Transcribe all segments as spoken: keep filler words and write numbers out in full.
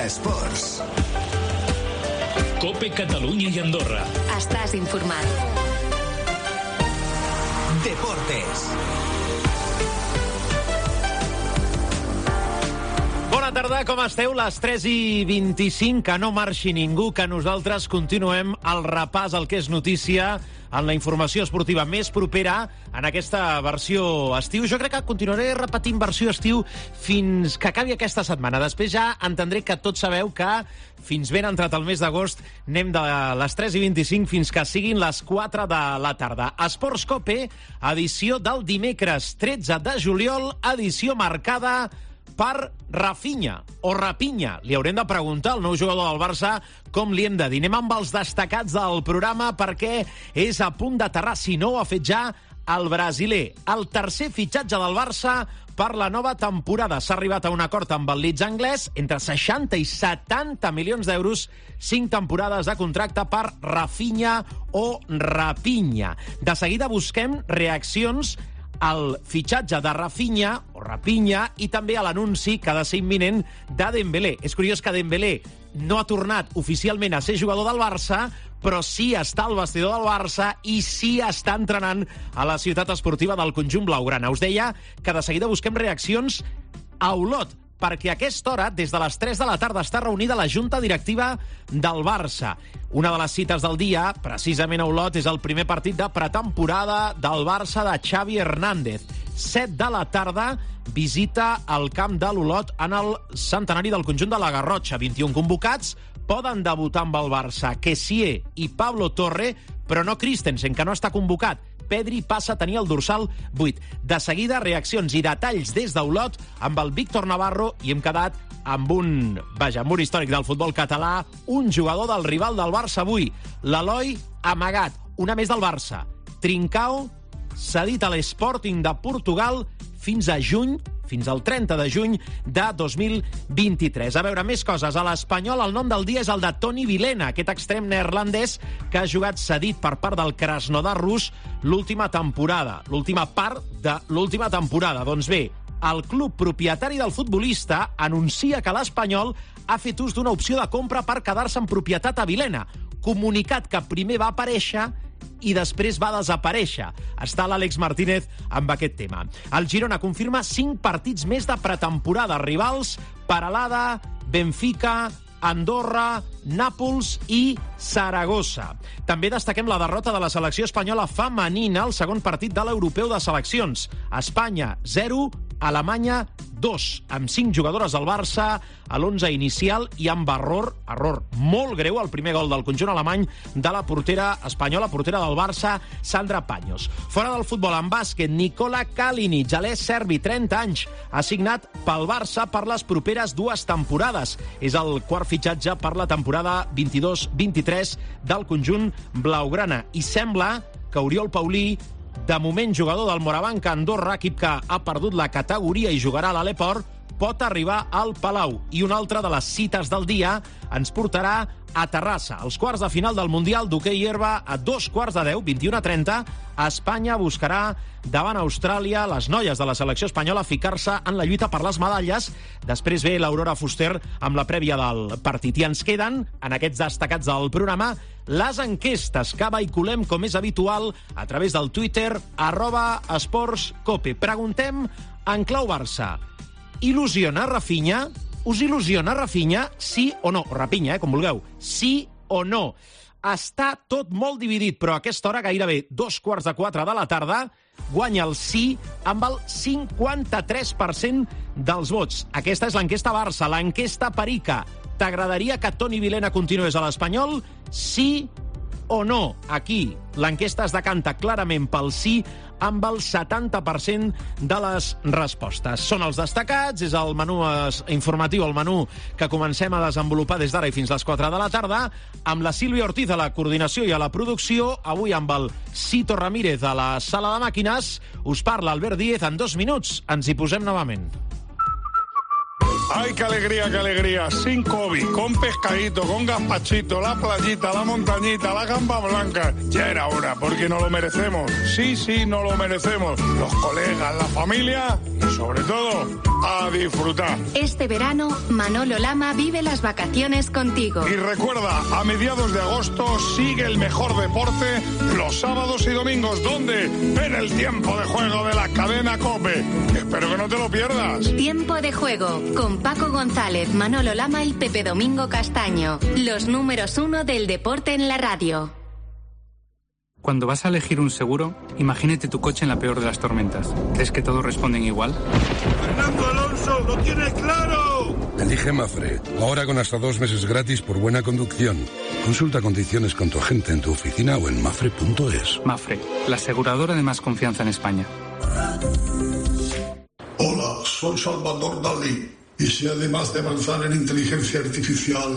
Esports. COPE Catalunya i Andorra. Estàs informat. Deportes. Bona tarda, com esteu? Les tres i vint-i-cinc, que no marxi ningú, que nosaltres continuem el repàs al que és notícia en la informació esportiva més propera en aquesta versió estiu. Jo crec que continuaré repetint versió estiu fins que acabi aquesta setmana. Després ja entendré que tots sabeu que fins ben entrat el mes d'agost anem de les tres i vint-i-cinc fins que siguin les quatre de la tarda. Esports Cope, edició del dimecres tretze de juliol, edició marcada per Rafinha, o Rapinya. Li haurem de preguntar al nou jugador del Barça com li hem de dir. Anem amb els destacats del programa perquè és a punt d'aterrar, si no ho ha fet ja, el brasiler. El tercer fitxatge del Barça per la nova temporada. S'ha arribat a un acord amb el Leeds anglès entre seixanta i setanta milions d'euros, cinc temporades de contracte per Rafinha o Rapinya. De seguida busquem reaccions al fitxatge de Rafinha o Rapinya i també a l'anunci que ha de ser imminent de Dembélé. És curiós que Dembélé no ha tornat oficialment a ser jugador del Barça, però sí està al vestidor del Barça i sí està entrenant a la ciutat esportiva del conjunt blaugrana. Us deia que de seguida busquem reaccions a Olot, perquè a aquesta hora, des de les tres de la tarda, està reunida la Junta Directiva del Barça. Una de les cites del dia, precisament a Olot, és el primer partit de pretemporada del Barça de Xavi Hernández. set de la tarda, visita al camp de l'Olot en el centenari del conjunt de la Garrotxa. vint-i-un convocats, poden debutar amb el Barça Kessié i Pablo Torre, però no Christensen, que no està convocat. Pedri passa a tenir el dorsal vuit. De seguida, reaccions i detalls des d'Olot amb el Víctor Navarro i hem quedat amb un, vaja, mur històric del futbol català, un jugador del rival del Barça avui, l'Eloi Amagat, una més del Barça. Trincao, cedit a l'Sporting de Portugal fins a juny, fins al trenta de juny de dos mil vint-i-tres. A veure, més coses. A l'Espanyol el nom del dia és el de Toni Vilhena, aquest extrem neerlandès que ha jugat cedit per part del Krasnodar rus l'última temporada, l'última part de l'última temporada. Doncs bé, el club propietari del futbolista anuncia que l'Espanyol ha fet ús d'una opció de compra per quedar-se en propietat a Vilhena. Comunicat que primer va aparèixer i després va desaparèixer. Està l'Àlex Martínez amb aquest tema. El Girona confirma cinc partits més de pretemporada. Rivals: Peralada, Benfica, Andorra, Nàpols i Saragossa. També destaquem la derrota de la selecció espanyola femenina al segon partit de l'Europeu de Seleccions. Espanya, zero, Alemanya, dos, amb cinc jugadores del Barça a l'onze inicial i amb error, error molt greu, el primer gol del conjunt alemany de la portera espanyola, portera del Barça, Sandra Paños. Fora del futbol, en bàsquet, Nikola Kalinic, alè serbi, trenta anys, ha signat pel Barça per les properes dues temporades. És el quart fitxatge per la temporada vint-i-dos vint-i-tres del conjunt blaugrana. I sembla que Oriol Paulí, de moment jugador del Morabanc Andorra, equip que ha perdut la categoria i jugarà a l'Aleport, pot arribar al Palau. I una altra de les cites del dia ens portarà a Terrassa. Els quarts de final del Mundial d'hoquei herba a dos quarts de deu, vint-i-u a trenta, Espanya buscarà davant Austràlia, les noies de la selecció espanyola, ficar-se en la lluita per les medalles. Després ve l'Aurora Fuster amb la prèvia del partit. I ens queden, en aquests destacats del programa, les enquestes que vehiculem, com és habitual, a través del Twitter, arroba esportscope. Preguntem en clau Barça: il·lusiona Rafinha? Us il·lusiona Rafinha? Sí o no? Rapinya, eh, com vulgueu. Sí o no? Està tot molt dividit, però a aquesta hora, gairebé dos quarts de quatre de la tarda, guanya el sí amb el cinquanta-tres per cent dels vots. Aquesta és l'enquesta Barça, l'enquesta Perica. T'agradaria que Toni Vilhena continués a l'Espanyol? Sí o no? Aquí l'enquesta es decanta clarament pel sí amb el setanta per cent de les respostes. Són els destacats, és el menú informatiu, el menú que comencem a desenvolupar des d'ara i fins les quatre de la tarda, amb la Sílvia Ortiz a la coordinació i a la producció, avui amb el Cito Ramírez a la sala de màquines. Us parla Albert Díez. En dos minuts ens hi posem novament. ¡Ay, qué alegría, qué alegría! Sin COVID, con pescadito, con gazpachito, la playita, la montañita, la gamba blanca. Ya era hora, porque no lo merecemos. Sí, sí, no lo merecemos. Los colegas, la familia y sobre todo a disfrutar. Este verano, Manolo Lama vive las vacaciones contigo. Y recuerda, a mediados de agosto sigue el mejor deporte los sábados y domingos. ¿Dónde? En el tiempo de juego de la cadena COPE. Espero que no te lo pierdas. Tiempo de juego con Paco González, Manolo Lama y Pepe Domingo Castaño. Los números uno del deporte en la radio. Cuando vas a elegir un seguro, imagínate tu coche en la peor de las tormentas. ¿Crees que todos responden igual? ¡Fernando Alonso, lo tiene claro! Elige Mafre, ahora con hasta dos meses gratis por buena conducción. Consulta condiciones con tu agente en tu oficina o en mafre punto es. Mafre, la aseguradora de más confianza en España. Hola, soy Salvador Dalí. Y si además de avanzar en inteligencia artificial,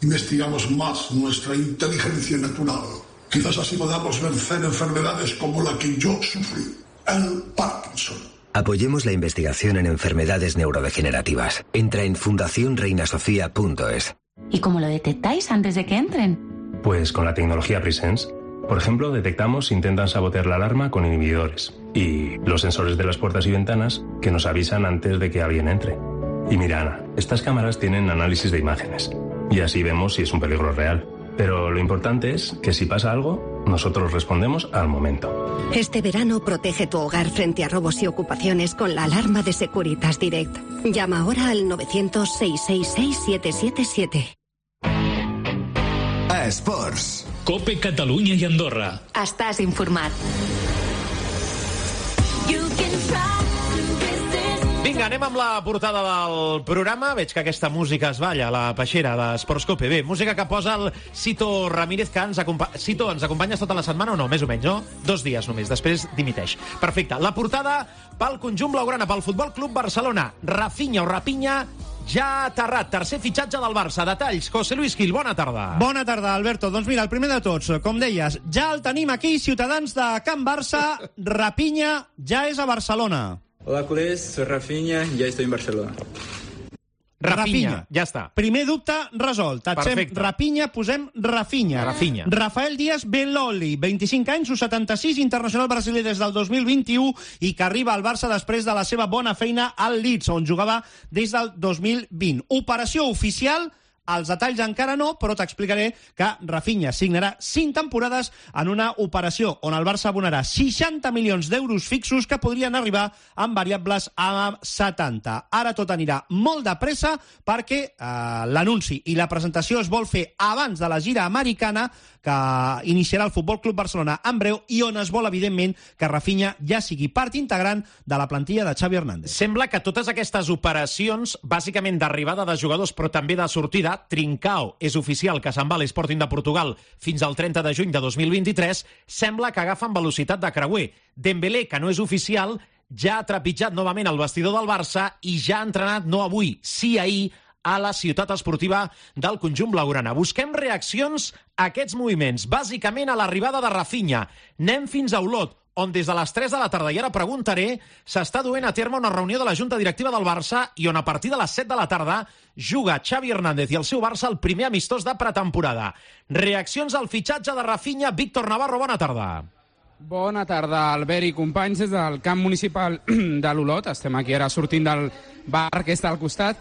investigamos más nuestra inteligencia natural, quizás así podamos vencer enfermedades como la que yo sufrí, el Parkinson. Apoyemos la investigación en enfermedades neurodegenerativas. Entra en fundación reina sofía punto es. ¿Y cómo lo detectáis antes de que entren? Pues con la tecnología Presence. Por ejemplo, detectamos si intentan sabotear la alarma con inhibidores y los sensores de las puertas y ventanas que nos avisan antes de que alguien entre. Y mira, Ana, estas cámaras tienen análisis de imágenes y así vemos si es un peligro real. Pero lo importante es que si pasa algo, nosotros respondemos al momento. Este verano protege tu hogar frente a robos y ocupaciones con la alarma de Securitas Direct. Llama ahora al novecientos, seiscientos sesenta y seis, siete siete siete. A Esports. COPE Catalunya i Andorra. Estàs informat. Vinga, anem amb la portada del programa. Veig que aquesta música es balla a la peixera d'Esports COPE. Bé, música que posa el Cito Ramírez, que ens acompanya... Cito, ens acompanyes tota la setmana o no? Més o menys, no? Dos dies només, després dimiteix. Perfecte. La portada pel conjunt blaugrana, pel Futbol Club Barcelona. Rafinha o Rapinya ja ha aterrat. Tercer fitxatge del Barça. Detalls. José Luis Gil, bona tarda. Bona tarda, Alberto. Doncs mira, el primer de tots, com deies, ja el tenim aquí, ciutadans de Can Barça. Rapinya ja és a Barcelona. Hola, culés, soy Rafinha, ya estoy en Barcelona. Rafinha, Rafinha, ja està. Primer dubte resolt. Tatxem Rafinha, posem Rafinha. Rafinha. Rafael Díaz Belloli, vint-i-cinc anys, u setanta-sis, internacional brasiler des del dos mil vint-i-u i que arriba al Barça després de la seva bona feina al Leeds, on jugava des del dos mil vint. Operació oficial. Els detalls encara no, però t'explicaré que Rafinha signarà cinc temporades en una operació on el Barça abonarà seixanta milions d'euros fixos que podrien arribar amb variables a setanta. Ara tot anirà molt de pressa perquè eh, l'anunci i la presentació es vol fer abans de la gira americana que iniciarà el Futbol Club Barcelona en breu i on es vol, evidentment, que Rafinha ja sigui part integrant de la plantilla de Xavi Hernández. Sembla que totes aquestes operacions, bàsicament d'arribada de jugadors, però també de sortida, Trincao és oficial que se'n va a l'Sporting de Portugal fins al trenta de juny de dos mil vint-i-tres, sembla que agafen velocitat de creuer. Dembélé, que no és oficial, ja ha trepitjat novament el vestidor del Barça i ja ha entrenat, no avui, sí ahir, a la ciutat esportiva del conjunt blaugrana. Busquem reaccions a aquests moviments, bàsicament a l'arribada de Rafinha. Anem fins a Olot, on des de les tres de la tarda, i ara preguntaré, s'està duent a terme una reunió de la Junta Directiva del Barça i on a partir de les set de la tarda juga Xavi Hernández i el seu Barça el primer amistós de pretemporada. Reaccions al fitxatge de Rafinha. Víctor Navarro, bona tarda. Bona tarda, Albert i companys, des del camp municipal de l'Olot. Estem aquí ara sortint del bar que està al costat,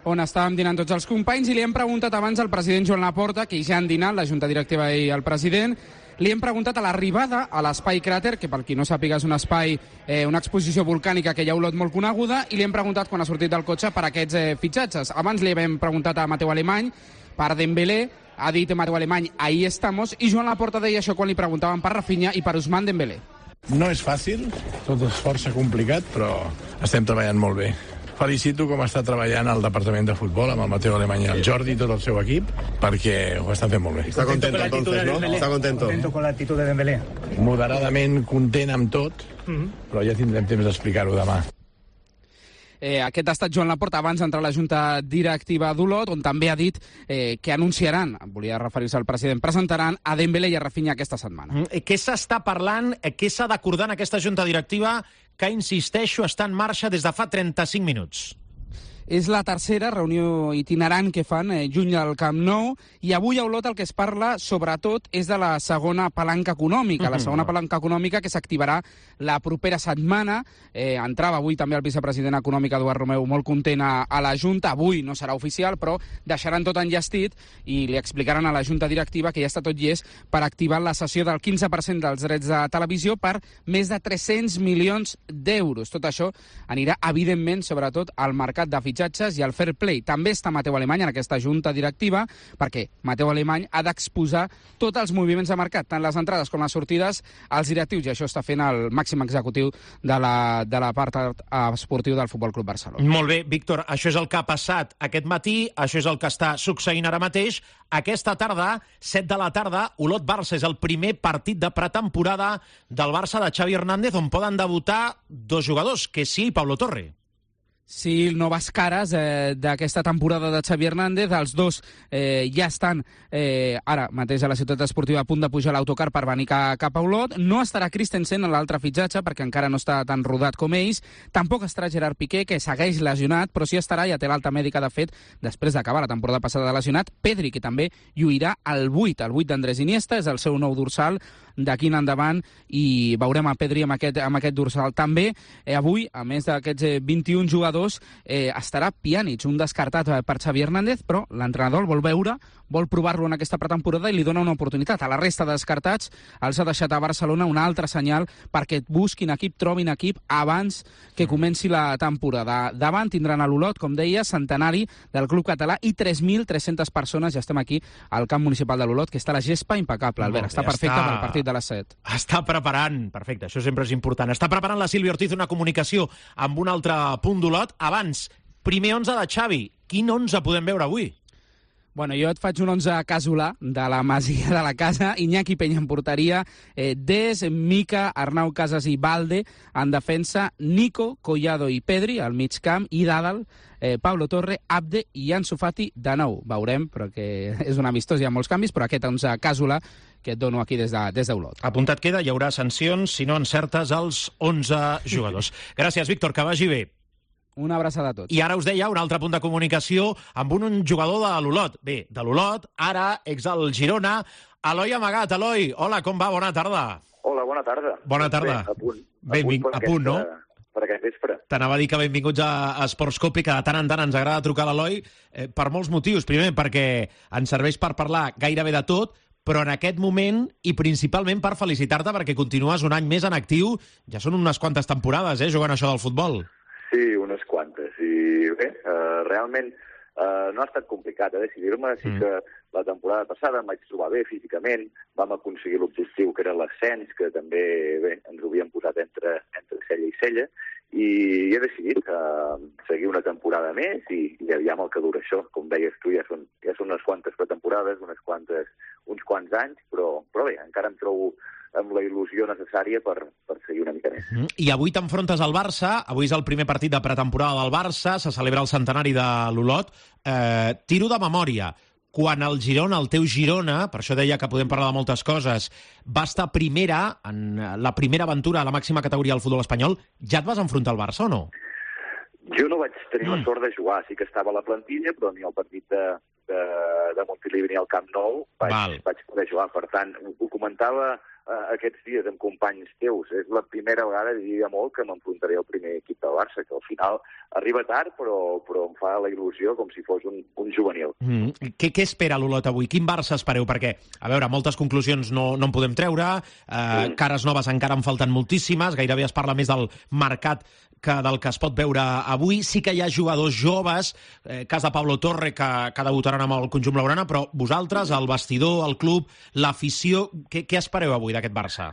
on estàvem dinant tots els companys, i li hem preguntat abans al president Joan Laporta, que ja han dinat, la Junta Directiva i el president, li hem preguntat a l'arribada a l'espai Cràter, que per qui no sàpiga és un espai, eh, una exposició volcànica que hi ha a Olot molt coneguda, i li hem preguntat quan ha sortit del cotxe per aquests eh, fitxatges. Abans li hem preguntat a Mateu Alemany per Dembélé, ha dit Mateu Alemany, ahí estamos, i Joan Laporta deia això quan li preguntaven per Rafinha i per Ousmane Dembélé. No és fàcil, tot és força complicat, però estem treballant molt bé. Felicito com està treballant el Departament de Futbol amb el Mateu Alemany i el Jordi i tot el seu equip, perquè ho estan fent molt bé. Està contento, entonces, ¿no? Está contento. Contento con la actitud de Dembélé. Moderadament content amb tot, però ja tindrem temps d'explicar-ho demà. Eh, aquest ha estat Joan Laporta abans d'entrar a la Junta Directiva d'Olot, on també ha dit eh, que anunciaran, volia referir-se al president, presentaran a Dembélé i a Rafinha aquesta setmana. Mm, què s'està parlant, què s'ha d'acordar en aquesta Junta Directiva que, insisteixo, està en marxa des de fa trenta-cinc minuts? És la tercera reunió itinerant que fan eh, juny al Camp Nou, i avui a Olot el que es parla sobretot és de la segona palanca econòmica, la segona palanca econòmica que s'activarà la propera setmana. Eh, entrava avui també el vicepresident econòmic Eduard Romeu molt content a, a la Junta. Avui no serà oficial, però deixaran tot enllestit i li explicaran a la Junta Directiva que ja està tot llest per activar la cessió del quinze per cent dels drets de televisió per més de tres-cents milions d'euros. Tot això anirà, evidentment, sobretot al mercat de fitxatges i al fair play. També està Mateu Alemany en aquesta Junta Directiva, perquè Mateu Alemany ha d'exposar tots els moviments de mercat, tant les entrades com les sortides, als directius, i això està fent el màxim executiu de la, de la part esportiu del Futbol Club Barcelona. Molt bé, Víctor, això és el que ha passat aquest matí, això és el que està succeint ara mateix. Aquesta tarda, set de la tarda, Olot-Barça és el primer partit de pretemporada del Barça de Xavi Hernández, on poden debutar dos jugadors, que sí, i Pablo Torre. Sí, noves cares eh, d'aquesta temporada de Xavi Hernández. Els dos eh, ja estan eh, ara mateix a la ciutat esportiva a punt de pujar l'autocar per venir ca, cap a Olot. No estarà Christensen en l'altre fitxatge perquè encara no està tan rodat com ells. Tampoc estarà Gerard Piqué, que segueix lesionat, però sí estarà, ja té l'alta mèdica, de fet, després d'acabar la temporada passada de lesionat. Pedri, que també lluirà al vuit, el vuit d'Andrés Iniesta, és el seu nou dorsal d'aquí en endavant, i veurem a Pedri amb aquest, amb aquest dorsal. També eh, avui, a més d'aquests eh, vint-i-un jugadors, eh, estarà Pjanic, un descartat eh, per Xavi Hernández, però l'entrenador el vol veure, vol provar-lo en aquesta pretemporada i li dona una oportunitat. A la resta de descartats els ha deixat a Barcelona un altre senyal perquè busquin equip, trobin equip abans que comenci la temporada. Davant tindran a l'Olot, com deia, centenari del club català, i tres mil tres-centes persones. Ja estem aquí al camp municipal de l'Olot, que està la gespa impecable, Albert. Està perfecte està... pel partit de les set. Està preparant, perfecte, això sempre és important, està preparant la Sílvia Ortiz una comunicació amb un altre punt d'Olot. Abans, primer onze de Xavi. Quin onze podem veure avui? Bueno, jo et faig un onze casolà de la masia de la casa. Iñaki Peña en porteria, eh, Des, Mica, Arnau Casas i Valde en defensa, Nico, Collado i Pedri al mig camp, i Dàdal, eh, Pablo Torre, Abde i Ansu Fati de nou. Veurem, perquè és un amistós, hi ha molts canvis, però aquest onze casolà que et dono aquí des de, des d'Olot. Apuntat queda, hi haurà sancions si no encertes els onze jugadors. Gràcies, Víctor, que vagi bé. Una abraçada a tots. I ara us deia un altre punt de comunicació amb un, un jugador de l'Olot. Bé, de l'Olot, ara ex del Girona, Eloi Amagat. Eloi, hola, com va? Bona tarda. Hola, bona tarda. Bona tarda. Bé, a punt. Benving... A punt, a punt no? Per aquest vespre. T'anava a dir que benvinguts a, a Sports Copy, que de tant en tant ens agrada trucar a l'Eloi, eh, per molts motius. Primer, perquè ens serveix per parlar gairebé de tot, però en aquest moment, i principalment per felicitar-te perquè continues un any més en actiu. Ja són unes quantes temporades, eh, jugant això del futbol. Sí, unes quantes. I bé, uh, realment uh, no ha estat complicat eh, decidir-me. Sí que la temporada passada em vaig trobar bé físicament, vam aconseguir l'objectiu que era l'ascens, que també bé, ens ho havíem posat entre, entre cella i cella, i he decidit uh, seguir una temporada més i, i aviam el que dura això. Com deies tu, ja són, ja són unes quantes pretemporades, unes quantes, uns quants anys, però, però bé, encara em trobo amb la il·lusió necessària per, per seguir una mica més. Mm. I avui t'enfrontes al Barça, avui és el primer partit de pretemporada del Barça, se celebra el centenari de l'Olot. Eh, tiro de memòria, quan el Girona, el teu Girona, per això deia que podem parlar de moltes coses, va estar primera, en la primera aventura a la màxima categoria del futbol espanyol, ja et vas enfrontar al Barça o no? Jo no vaig tenir mm. la sort de jugar, sí que estava a la plantilla, però ni al partit de, de, de Montilivi ni al Camp Nou vaig, vaig poder jugar. Per tant, ho, ho comentava uh, aquests dies amb companys teus. És la primera vegada, diria molt, que m'enfrontaré al primer equip del Barça, que al final arriba tard, però, però em fa la il·lusió com si fos un, un juvenil. Mm. Què, què espera l'Olot avui? Quin Barça espereu? Perquè, a veure, moltes conclusions no, no en podem treure, eh, mm. cares noves encara en falten moltíssimes, gairebé es parla més del mercat que del que es pot veure avui. Sí que hi ha jugadors joves, eh, cas de Pablo Torre, que, que debutaran amb el conjunt blaugrana, però vosaltres, el vestidor, el club, l'afició, què, què espereu avui d'aquest Barça?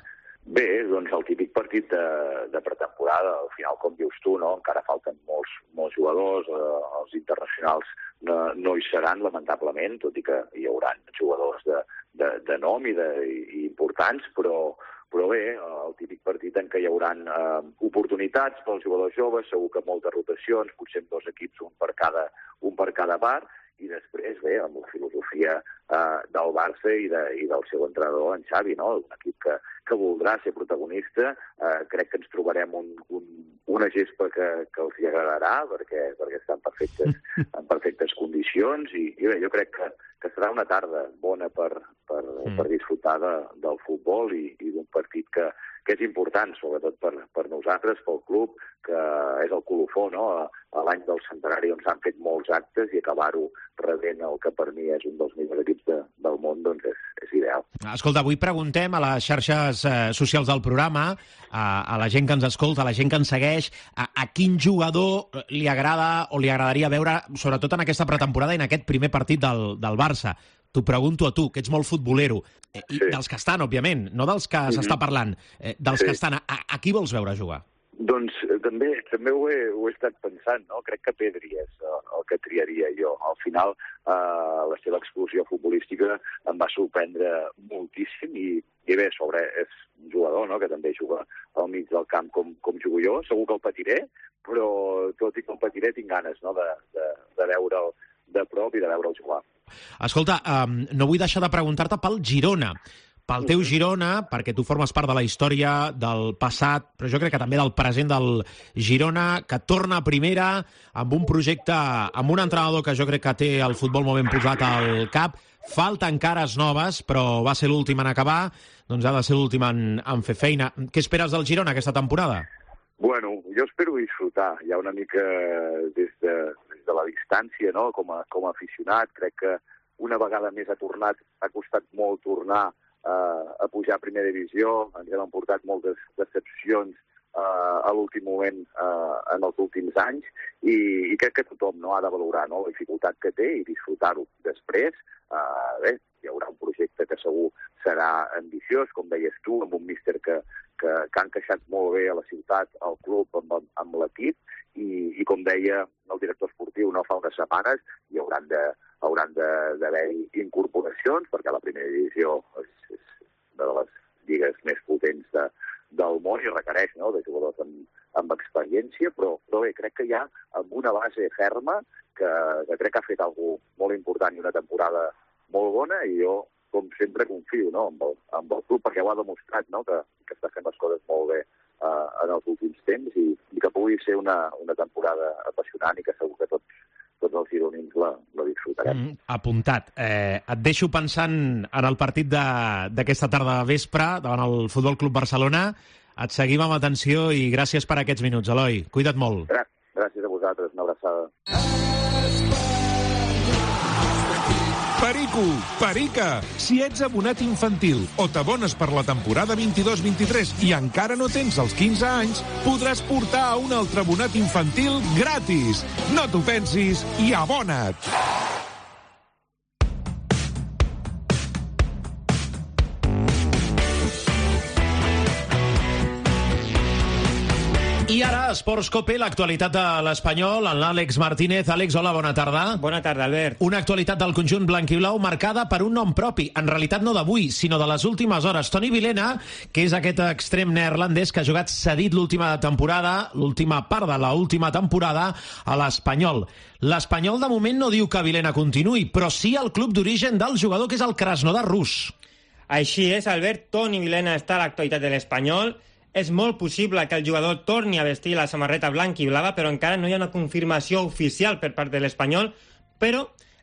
Bé, doncs el típic partit de, de pretemporada, al final, com dius tu, no? Encara falten molts, molts jugadors, eh, els internacionals no, no hi seran, lamentablement, tot i que hi haurà jugadors de, de, de nom i, de, i importants, però Però bé, el típic partit en què hi haurà eh, oportunitats pels jugadors joves, segur que moltes rotacions, potser amb dos equips, un per cada, un per cada part, i després, bé, amb la filosofia eh, del Barça i, de, i del seu entrenador, en Xavi, no? Un equip que, que voldrà ser protagonista. Eh, crec que ens trobarem un, un, una gespa que, que els hi agradarà, perquè, perquè està en perfectes, en perfectes condicions, i, i bé, jo crec que, que serà una tarda bona per, per, mm. per disfrutar de, del futbol i, i d'un partit que, que és important, sobretot per, per nosaltres, pel club, que és el colofó, no?, a, a l'any del centenari on s'han fet molts actes, i acabar-ho rebent el que per mi és un dels millors equips de, del món, doncs és, és ideal. Escolta, avui preguntem a les xarxes eh, socials del programa, a, a la gent que ens escolta, a la gent que ens segueix, a, a quin jugador li agrada o li agradaria veure, sobretot en aquesta pretemporada i en aquest primer partit del, del Barça. T'ho pregunto a tu, que ets molt futbolero, eh, i sí. dels que estan, òbviament, no dels que mm-hmm. s'està parlant, eh, dels sí. que estan. A, a qui vols veure jugar? Doncs eh, també també ho he, ho he estat pensant, no? Crec que Pedri és el, el que triaria jo. Al final, eh, la seva explosió futbolística em va sorprendre moltíssim i, i bé, sobre és un jugador, no?, que també juga al mig del camp com, com jugo jo. Segur que el patiré, però tot i que el patiré tinc ganes, no?, de, de, de veure'l de prop i de veure'l jugar. Escolta, um, no vull deixar de preguntar-te pel Girona, pel teu Girona, perquè tu formes part de la història del passat, però jo crec que també del present del Girona, que torna a primera amb un projecte, amb un entrenador que jo crec que té el futbol molt ben posat al cap. Falten cares noves, però va ser l'últim en acabar, doncs ha de ser l'últim en, en fer feina. Què esperes del Girona aquesta temporada? Bueno, jo espero disfrutar, ja una mica des de, des de la distància, no?, com a, com a aficionat. Crec que una vegada més ha tornat, ha costat molt tornar Uh, a pujar a primera divisió. Ens hem emportat moltes decepcions uh, a l'últim moment uh, en els últims anys, i, i crec que tothom, no?, ha de valorar, no?, la dificultat que té i disfrutar-ho. Després, uh, bé, hi haurà un projecte que segur serà ambiciós, com deies tu, amb un míster que, que, que ha encaixat molt bé a la ciutat, al club, amb, amb l'equip, i, i com deia el director esportiu no fa unes setmanes, hi hauran de hauran d'haver-hi incorporacions, perquè la primera divisió és, és una de les lligues més potents de, del món i requereix, no?, de jugadors amb, amb experiència, però, però bé, crec que hi ha amb una base ferma que, que crec que ha fet alguna cosa molt important i una temporada molt bona, i jo, com sempre, confio, no?, amb, el, amb el club, perquè ho ha demostrat, no?, que, que està fent les coses molt bé uh, en els últims temps, i, i que pugui ser una, una temporada apassionant i que segur que tots tots els gironins la, la disfrutarem. Mm, apuntat. Eh, et deixo pensant en el partit d'aquesta tarda vespre davant el Futbol Club Barcelona. Et seguim amb atenció i gràcies per aquests minuts, Eloi. Cuida't molt. Gràcies, gràcies a vosaltres. Una abraçada. Perico, Perica, si ets abonat infantil o t'abones per la temporada vint-i-dos vint-i-tres i encara no tens els quinze anys, podràs portar a un altre abonat infantil gratis. No t'ho pensis i abona't! I ara, Esports Cope, l'actualitat de l'Espanyol, en l'Àlex Martínez. Àlex, hola, bona tarda. Bona tarda, Albert. Una actualitat del conjunt blanquiblau marcada per un nom propi, en realitat no d'avui, sinó de les últimes hores. Toni Vilhena, que és aquest extrem neerlandès que ha jugat cedit l'última temporada, l'última part de l'última temporada, a l'Espanyol. L'Espanyol, de moment, no diu que Vilhena continuï, però sí el club d'origen del jugador, que és el Krasnodar rus. Així és, Albert. Toni Vilhena està a l'actualitat de l'Espanyol. És molt possible que el jugador torni a vestir la samarreta blanca i blava, però encara no hi ha una confirmació oficial per part de l'Espanyol. Però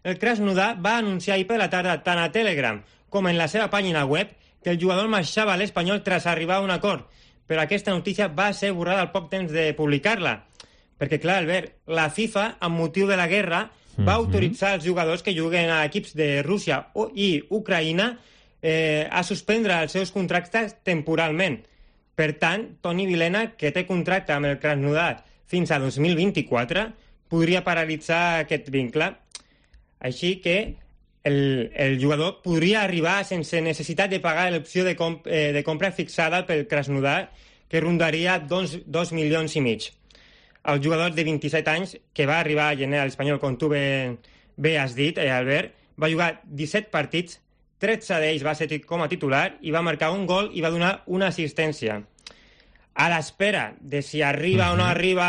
el Krasnodar va anunciar ahir per la tarda, tant a Telegram com en la seva pàgina web, que el jugador marxava a l'Espanyol tras arribar a un acord. Però aquesta notícia va ser borrada al poc temps de publicar-la. Perquè, clar, Albert, la FIFA, amb motiu de la guerra, va mm-hmm. autoritzar els jugadors que juguen a equips de Rússia i Ucraïna eh, a suspendre els seus contractes temporalment. Per tant, Toni Vilhena, que té contracte amb el Krasnodar fins a dos mil vint-i-quatre, podria paralitzar aquest vincle. Així que el, el jugador podria arribar sense necessitat de pagar l'opció de, comp eh, de compra fixada pel Krasnodar, que rondaria dos, dos milions i mig. El jugador de vint-i-set anys, que va arribar a gener a l'Espanyol, com tu bé, bé has dit, eh, Albert, va jugar disset partits, tretze d'ells va ser com a titular i va marcar un gol i va donar una assistència. A l'espera de si arriba uh-huh. o no arriba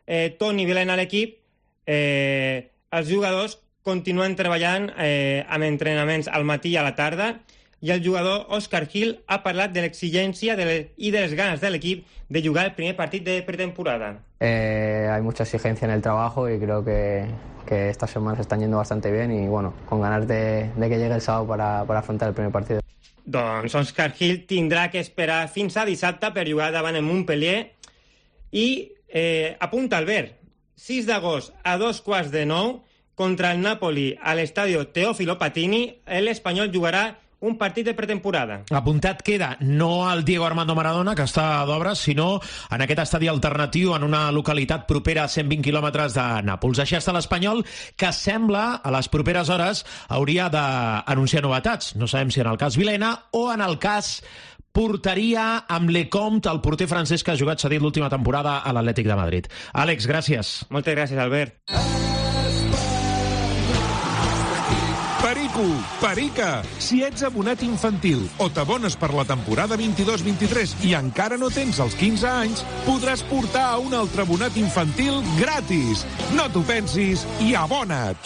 eh, Toni Vilhena a l'equip, eh, els jugadors continuen treballant eh, amb entrenaments al matí i a la tarda. i el jugador Oscar Gil ha parlat de l'exigència de le- i de les ganes de l'equip de jugar el primer partit de pretemporada. Eh, hay mucha exigencia en el trabajo y creo que, que estas semanas están yendo bastante bien y bueno, con ganas de, de que llegue el sábado para, para afrontar el primer partido. Doncs Oscar Gil tindrà que esperar fins a dissabte per jugar davant el Montpellier i eh, apunta Albert, sis d'agost a dos quarts de nou contra el Napoli a l'estadio Teófilo Patini, l'Espanyol jugarà un partit de pretemporada. Apuntat queda no al Diego Armando Maradona, que està d'obres, sinó en aquest estadi alternatiu en una localitat propera a cent vint quilòmetres de Nàpols. Així està l'Espanyol, que sembla, a les properes hores, hauria d'anunciar novetats. No sabem si en el cas Vilena o en el cas porteria amb Lecomte, el porter francès que ha jugat cedit l'última temporada a l'Atlètic de Madrid. Àlex, gràcies. Moltes gràcies, Albert. Perico, Perica, si ets abonat infantil o t'abones per la temporada vint-i-dos vint-i-tres i encara no tens els quinze anys, podràs portar a un altre abonat infantil gratis. No t'ho pensis i abona't.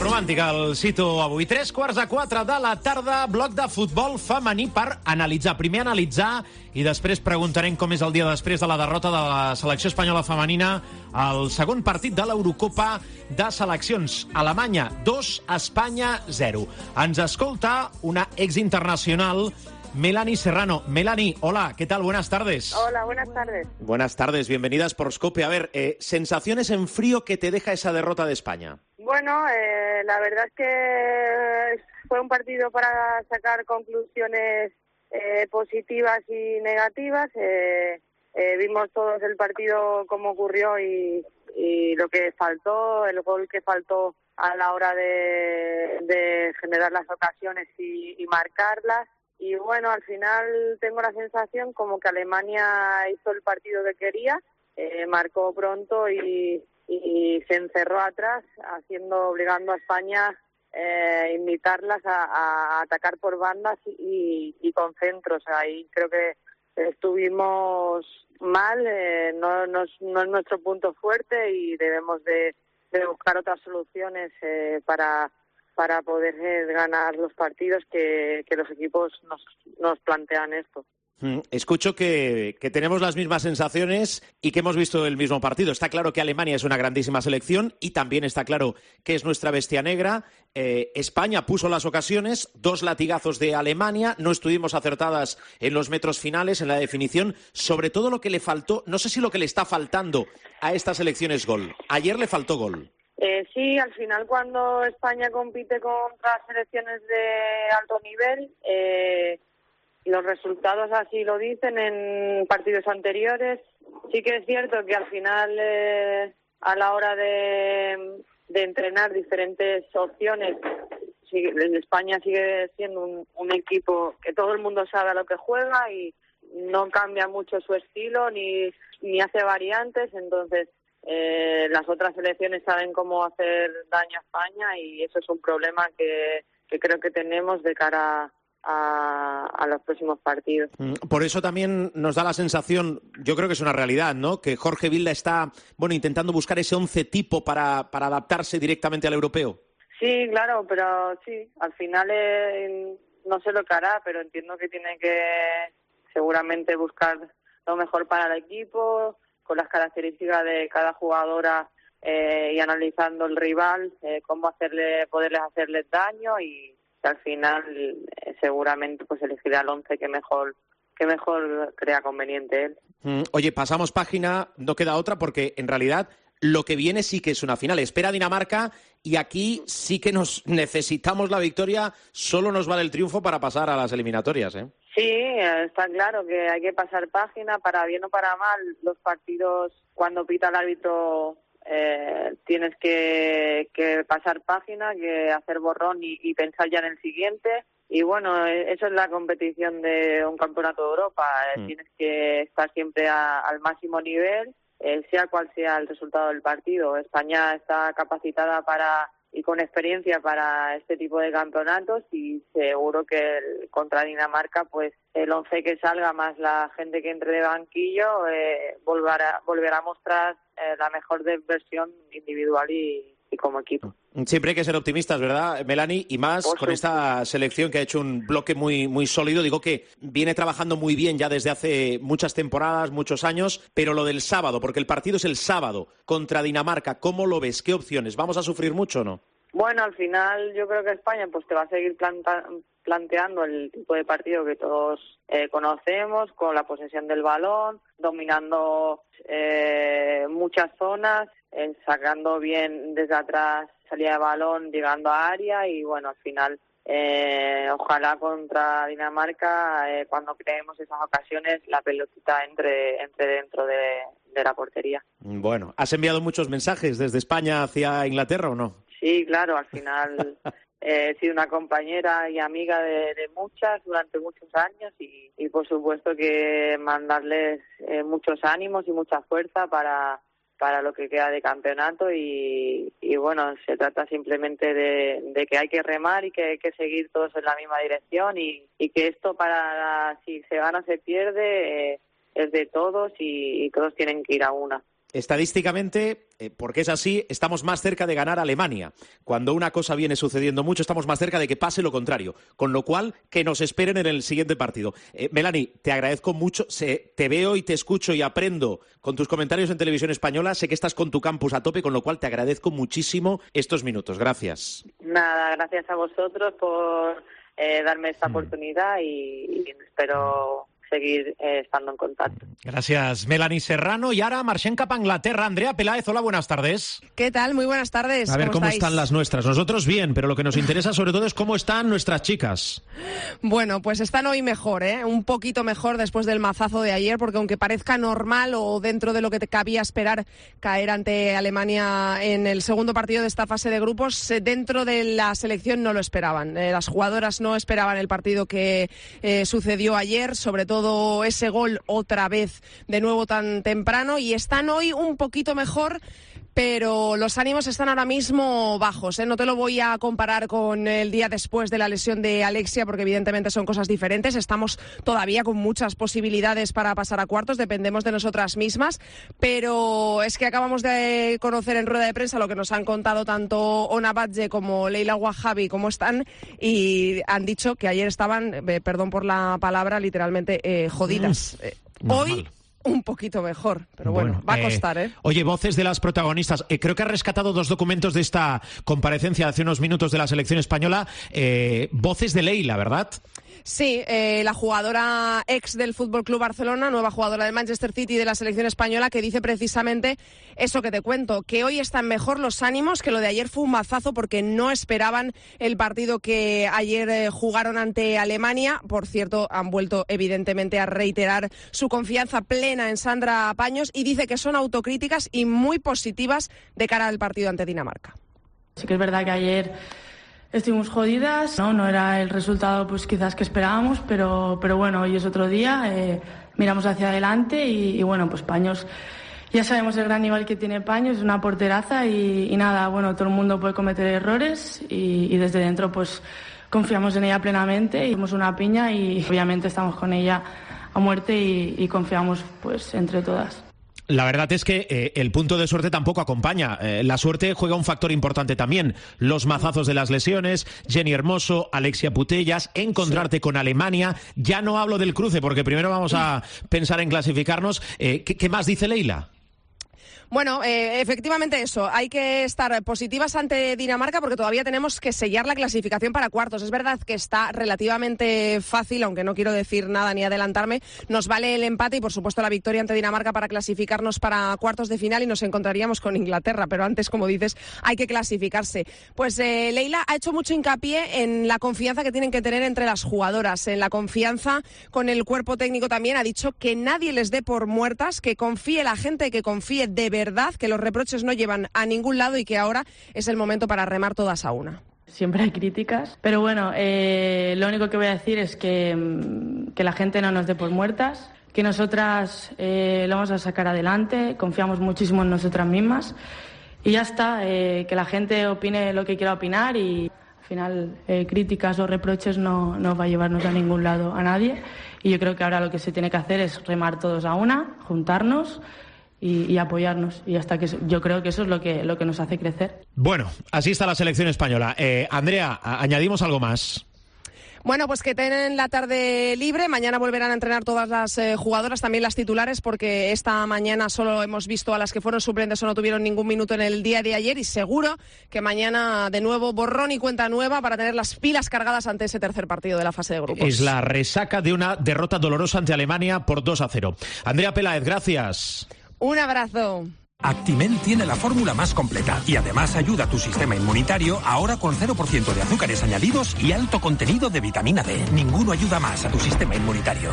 Romàntic el cito avui. Tres quarts a quatre de la tarda, bloc de futbol femení per analitzar. Primer analitzar i després preguntarem com és el dia després de la derrota de la selecció espanyola femenina al segon partit de l'Eurocopa de seleccions. Alemanya dos, Espanya zero. Ens escolta una exinternacional, Melanie Serrano. Melanie, hola, ¿qué tal? Buenas tardes. Hola, buenas tardes. Buenas tardes, bienvenida a Sportscope. A ver, eh, sensaciones en frío que te deja esa derrota de España. Bueno, eh, la verdad es que fue un partido para sacar conclusiones eh, positivas y negativas. Eh, eh, vimos todos el partido cómo ocurrió y, y lo que faltó, el gol que faltó a la hora de, de generar las ocasiones y, y marcarlas. Y bueno, al final tengo la sensación como que Alemania hizo el partido que quería, eh, marcó pronto y, y se encerró atrás, haciendo, obligando a España eh, invitarlas a, a atacar por bandas y, y con centros. Ahí creo que estuvimos mal, eh, no, no, es, no es nuestro punto fuerte y debemos de, de buscar otras soluciones eh, para... para poder eh, ganar los partidos que, que los equipos nos, nos plantean esto. Escucho que, que tenemos las mismas sensaciones y que hemos visto el mismo partido. Está claro que Alemania es una grandísima selección y también está claro que es nuestra bestia negra. Eh, España puso las ocasiones, dos latigazos de Alemania, no estuvimos acertadas en los metros finales, en la definición. Sobre todo lo que le faltó, no sé si lo que le está faltando a esta selección es gol. Ayer le faltó gol. Eh, sí, al final cuando España compite contra selecciones de alto nivel, eh, los resultados así lo dicen en partidos anteriores. Sí que es cierto que al final, eh, a la hora de, de entrenar diferentes opciones, sigue, España sigue siendo un, un equipo que todo el mundo sabe a lo que juega y no cambia mucho su estilo ni, ni hace variantes, entonces... Eh, las otras selecciones saben cómo hacer daño a España y eso es un problema que, que creo que tenemos de cara a, a los próximos partidos. Por eso también nos da la sensación, yo creo que es una realidad, ¿no?, que Jorge Vilda está, bueno, intentando buscar ese once tipo para, para adaptarse directamente al europeo. Sí, claro, pero sí, al final eh, no sé lo que hará, pero entiendo que tiene que seguramente buscar lo mejor para el equipo, con las características de cada jugadora eh, y analizando el rival, eh, cómo hacerle, poderles hacerles daño y al final eh, seguramente pues elegirá el once que mejor que mejor crea conveniente él. Mm, oye, pasamos página, no queda otra porque en realidad lo que viene sí que es una final. Espera Dinamarca y aquí sí que nos necesitamos la victoria, solo nos vale el triunfo para pasar a las eliminatorias, ¿eh? Sí, está claro que hay que pasar página, para bien o para mal. Los partidos, cuando pita el árbitro, eh, tienes que, que pasar página, que hacer borrón y, y pensar ya en el siguiente. Y bueno, eso es la competición de un campeonato de Europa. Mm. Tienes que estar siempre a, al máximo nivel, eh, sea cual sea el resultado del partido. España está capacitada para, y con experiencia para este tipo de campeonatos, y seguro que el, contra Dinamarca, pues el once que salga más la gente que entre de banquillo eh, volverá, volverá a mostrar eh, la mejor de versión individual y, y como equipo. Siempre hay que ser optimistas, ¿verdad, Melanie? Y más con esta selección que ha hecho un bloque muy, muy sólido. Digo que viene trabajando muy bien ya desde hace muchas temporadas, muchos años, pero lo del sábado, porque el partido es el sábado contra Dinamarca, ¿cómo lo ves? ¿Qué opciones? ¿Vamos a sufrir mucho o no? Bueno, al final yo creo que España pues te va a seguir planta- planteando el tipo de partido que todos eh, conocemos, con la posesión del balón, dominando eh, muchas zonas, eh, sacando bien desde atrás, salida de balón, llegando a área, y bueno, al final eh, ojalá contra Dinamarca, eh, cuando creemos esas ocasiones, la pelotita entre, entre dentro de, de la portería. Bueno, ¿has enviado muchos mensajes desde España hacia Inglaterra o no? Sí, claro, al final eh, he sido una compañera y amiga de, de muchas durante muchos años, y, y por supuesto que mandarles eh, muchos ánimos y mucha fuerza para, para lo que queda de campeonato, y, y bueno, se trata simplemente de, de que hay que remar y que hay que seguir todos en la misma dirección, y, y que esto, para si se gana o se pierde, eh, es de todos, y, y todos tienen que ir a una. Estadísticamente, eh, porque es así, estamos más cerca de ganar a Alemania. Cuando una cosa viene sucediendo mucho, estamos más cerca de que pase lo contrario. Con lo cual, que nos esperen en el siguiente partido. Eh, Melanie, te agradezco mucho. Se, te veo y te escucho y aprendo con tus comentarios en Televisión Española. Sé que estás con tu campus a tope, con lo cual te agradezco muchísimo estos minutos. Gracias. Nada, gracias a vosotros por eh, darme esta mm. oportunidad, y, y espero seguir eh, estando en contacto. Gracias, Melanie Serrano. Y ahora marxem cap a Inglaterra. Andrea Peláez, hola, buenas tardes. ¿Qué tal? Muy buenas tardes. A ver, ¿cómo, ¿cómo estáis? están las nuestras? Nosotros bien, pero lo que nos interesa sobre todo es cómo están nuestras chicas. Bueno, pues están hoy mejor, ¿eh? Un poquito mejor después del mazazo de ayer, porque aunque parezca normal o dentro de lo que te cabía esperar caer ante Alemania en el segundo partido de esta fase de grupos, dentro de la selección no lo esperaban. Eh, las jugadoras no esperaban el partido que eh, sucedió ayer, sobre todo ese gol otra vez de nuevo tan temprano, y están hoy un poquito mejor, pero los ánimos están ahora mismo bajos, ¿eh? No te lo voy a comparar con el día después de la lesión de Alexia, porque evidentemente son cosas diferentes. Estamos todavía con muchas posibilidades para pasar a cuartos, dependemos de nosotras mismas, pero es que acabamos de conocer en rueda de prensa lo que nos han contado tanto Ona Batlle como Leila Wahabi, cómo están, y han dicho que ayer estaban, eh, perdón por la palabra, literalmente eh, jodidas. Eh, hoy un poquito mejor, pero bueno, bueno va a costar, ¿eh? Oye, voces de las protagonistas. Eh, creo que has rescatado dos documentos de esta comparecencia hace unos minutos de la selección española. Eh, voces de Leila, ¿verdad? Sí, eh, la jugadora ex del F C Barcelona, nueva jugadora del Manchester City de la selección española, que dice precisamente eso que te cuento, que hoy están mejor los ánimos, que lo de ayer fue un mazazo porque no esperaban el partido que ayer eh, jugaron ante Alemania. Por cierto, han vuelto evidentemente a reiterar su confianza plena en Sandra Paños, y dice que son autocríticas y muy positivas de cara al partido ante Dinamarca. Sí que es verdad que ayer estuvimos jodidas, no, no era el resultado pues quizás que esperábamos, pero, pero bueno, hoy es otro día, eh, miramos hacia adelante y, y bueno, pues Paños, ya sabemos el gran nivel que tiene Paños, es una porteraza y, y nada, bueno, todo el mundo puede cometer errores y, y desde dentro pues confiamos en ella plenamente, y somos una piña y obviamente estamos con ella a muerte y, y confiamos pues entre todas. La verdad es que eh, el punto de suerte tampoco acompaña. Eh, la suerte juega un factor importante también. Los mazazos de las lesiones, Jenny Hermoso, Alexia Putellas, encontrarte sí. con Alemania. Ya no hablo del cruce, porque primero vamos a pensar en clasificarnos. Eh, ¿qué, ¿Qué más dice Leila? Bueno, eh, efectivamente eso, hay que estar positivas ante Dinamarca porque todavía tenemos que sellar la clasificación para cuartos. Es verdad que está relativamente fácil, aunque no quiero decir nada ni adelantarme. Nos vale el empate y por supuesto la victoria ante Dinamarca para clasificarnos para cuartos de final, y nos encontraríamos con Inglaterra, pero antes, como dices, hay que clasificarse. Pues eh, Leila ha hecho mucho hincapié en la confianza que tienen que tener entre las jugadoras, en la confianza con el cuerpo técnico también. Ha dicho que nadie les dé por muertas, que confíe la gente, que confíe de verdad verdad, que los reproches no llevan a ningún lado y que ahora es el momento para remar todas a una. Siempre hay críticas, pero bueno, eh, lo único que voy a decir es que, que la gente no nos dé por muertas, que nosotras eh, lo vamos a sacar adelante, confiamos muchísimo en nosotras mismas y ya está, eh, que la gente opine lo que quiera opinar y al final eh, críticas o reproches no, no va a llevarnos a ningún lado a nadie, y yo creo que ahora lo que se tiene que hacer es remar todos a una, juntarnos y, y apoyarnos, y hasta que yo creo que eso es lo que, lo que nos hace crecer. Bueno, así está la selección española. Eh, Andrea, añadimos algo más. Bueno, pues que tienen la tarde libre. Mañana volverán a entrenar todas las eh, jugadoras, también las titulares, porque esta mañana solo hemos visto a las que fueron suplentes o no tuvieron ningún minuto en el día de ayer, y seguro que mañana de nuevo borrón y cuenta nueva para tener las pilas cargadas ante ese tercer partido de la fase de grupos. Es la resaca de una derrota dolorosa ante Alemania por dos a cero. Andrea Peláez, gracias. Un abrazo. Actimel tiene la fórmula más completa y además ayuda a tu sistema inmunitario, ahora con cero por ciento de azúcares añadidos y alto contenido de vitamina D. Ninguno ayuda más a tu sistema inmunitario.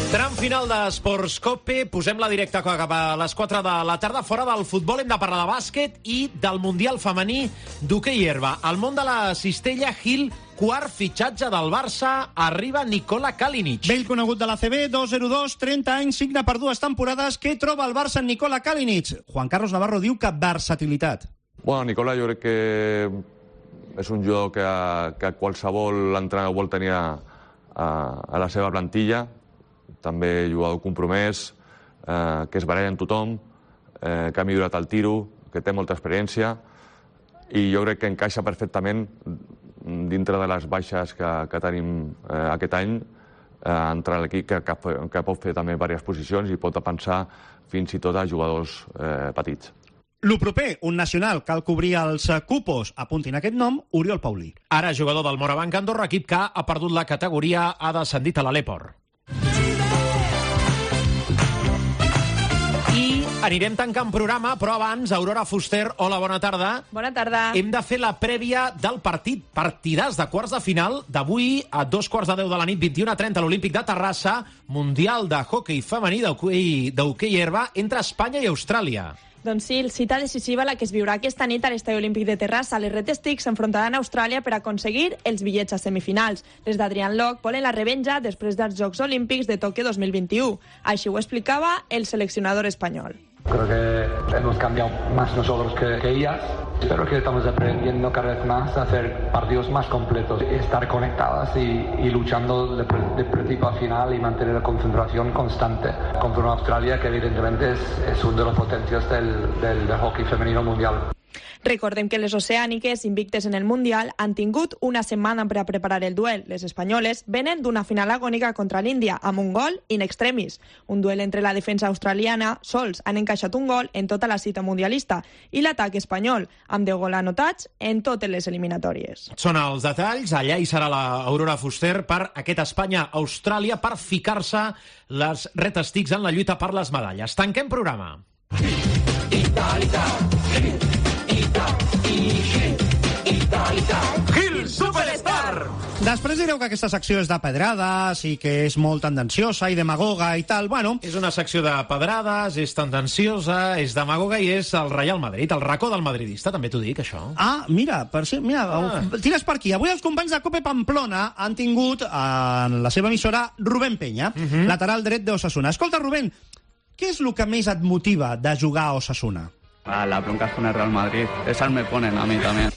Tram final d'Esports Cope, posem la directa cap a les quatre de la tarda. Fora del futbol hem de parlar de bàsquet i del Mundial femení d'hoquei herba. Al món de la cistella, Gil, quart fitxatge del Barça, arriba Nikola Kalinic. Vell conegut de l'A C B, dos zero dos, trenta anys, signa per dues temporades. Què troba el Barça en Nikola Kalinic? Juan Carlos Navarro diu que versatilitat. Bueno, Nikola jo crec que és un jugador que, que qualsevol entrenador vol tenir a, a la seva plantilla. També jugador compromès, eh, que es baralla amb tothom, eh, que ha millorat el tiro, que té molta experiència, i jo crec que encaixa perfectament dintre de les baixes que, que tenim eh, aquest any, eh, entre l'equip que, que, que pot fer també diverses posicions i pot pensar fins i tot a jugadors eh, petits. Lo proper, un nacional, cal cobrir els cupos. Apuntin aquest nom, Oriol Paulí. Ara jugador del Morabanc Andorra, equip que ha perdut la categoria, ha descendit a l'Aleport. I anirem tancant programa, però abans, Aurora Fuster, hola, bona tarda. Bona tarda. Hem de fer la prèvia del partit, partidàs de quarts de final d'avui a dos quarts de deu de la nit, vint i una trenta, a l'Olímpic de Terrassa, Mundial de Hockey Femení d'hoquei herba entre Espanya i Austràlia. Doncs sí, cita decisiva la que es viurà aquesta nit a l'Estadi Olímpic de Terrassa. Les Red Sticks s'enfrontaran a Austràlia per aconseguir els bitllets a semifinals. Les d'Adrián Locke volen la revenja després dels Jocs Olímpics de Tòquio dos mil vint-i-u. Així ho explicava el seleccionador espanyol. Creo que hemos cambiado más nosotros que, que ellas. Espero que estamos aprendiendo cada vez más a hacer partidos más completos, estar conectadas y, y luchando de, de principio a final y mantener la concentración constante contra una Australia que evidentemente es, es uno de los potencias del, del, del hockey femenino mundial. Recordem que les oceàniques, invictes en el Mundial, han tingut una setmana per a preparar el duel. Les espanyoles venen d'una final agònica contra l'Índia, amb un gol in extremis. Un duel entre la defensa australiana, sols han encaixat un gol en tota la cita mundialista, i l'atac espanyol, amb deu gols anotats en totes les eliminatòries. Són els detalls, allà hi serà l'Aurora Fuster per aquest Espanya-Austràlia, per ficar-se les Red Sticks en la lluita per les medalles. Tanquem programa. Gil Superstar! Després direu que aquesta secció és de pedrades i que és molt tendenciosa i demagoga i tal. Bueno, és una secció de pedrades, és tendenciosa, és demagoga i és el Real Madrid, el racó del madridista, també t'ho dic, això. Ah, mira, per si, mira, ah. tires per aquí. Avui els companys de Cope Pamplona han tingut en la seva emissora Rubén Peña, uh -huh. lateral dret d'Osasuna. Escolta, Rubén, què és el que més et motiva de jugar a Osasuna? Ah, la bronca con el Real Madrid. Esas me ponen a mí también.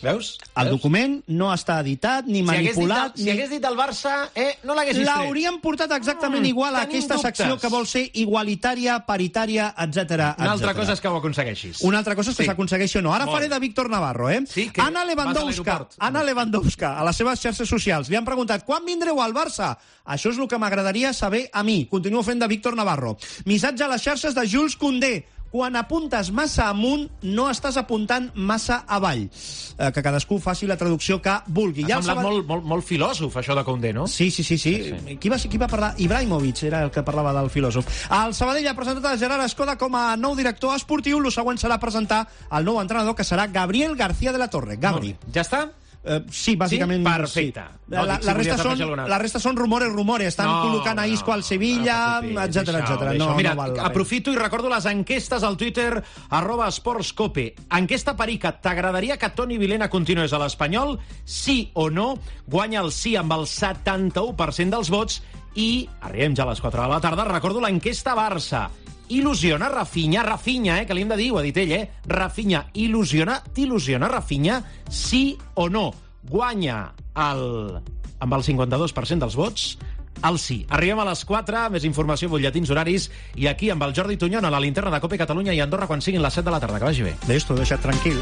Veus? El document no està editat ni manipulat. Si hagués dit, ni... dit el Barça, eh, no l'haguessis tret. L'hauríem portat exactament mm, igual a aquesta dubtes. secció que vol ser igualitària, paritària, etcètera. Una altra cosa és que ho aconsegueixis. Una altra cosa és que sí. s'aconsegueixi o no. Ara Molt. faré de Víctor Navarro, eh? Sí, que Anna Lewandowska, Anna Lewandowska, a les seves xarxes socials, li han preguntat quan vindreu al Barça? Això és el que m'agradaria saber a mi. Continuo fent de Víctor Navarro. Missatge a les xarxes de Jules Koundé. Quan apuntes massa amunt, no estàs apuntant massa avall. Eh, que cadascú faci la traducció que vulgui. Ha ja semblat Sabad... molt, molt, molt filòsof, això de Koundé, no? Sí, sí, sí. sí. sí, sí. Qui, va, qui va parlar? Ibrahimovic era el que parlava del filòsof. El Sabadell ha presentat a Gerard Escoda com a nou director esportiu. El següent serà presentar el nou entrenador, que serà Gabriel García de la Torre. Gabri. Ja està? Eh, sí, bàsicament... Sí? Perfecte. Sí. No, la, dic, si la, resta volies són, afegir alguna- la resta són rumores, rumores. Estan No, col·locant a Isco al Sevilla, etcètera, etcètera. No, Mira, no val la pena. aprofito i recordo les enquestes al Twitter arroba esportscope. Enquesta perica, t'agradaria que Toni Vilena continués a l'Espanyol? Sí o no? Guanya el sí amb el setanta-u per cent dels vots i arribem ja a les quatre de la tarda. Recordo l'enquesta Barça. Il·lusiona Rafinha, Rafinha, eh, que li hem de dir, ho ha dit ell, eh? Rafinha, il·lusiona, t'il·lusiona Rafinha, sí o no? Guanya el, amb el cinquanta-dos per cent dels vots, el sí. Arribem a les quatre, més informació, butlletins horaris, i aquí amb el Jordi Tuñón a la linterna de Cope Catalunya i Andorra quan siguin les set de la tarda. Que vagi bé. D'esto, deixa't tranquil.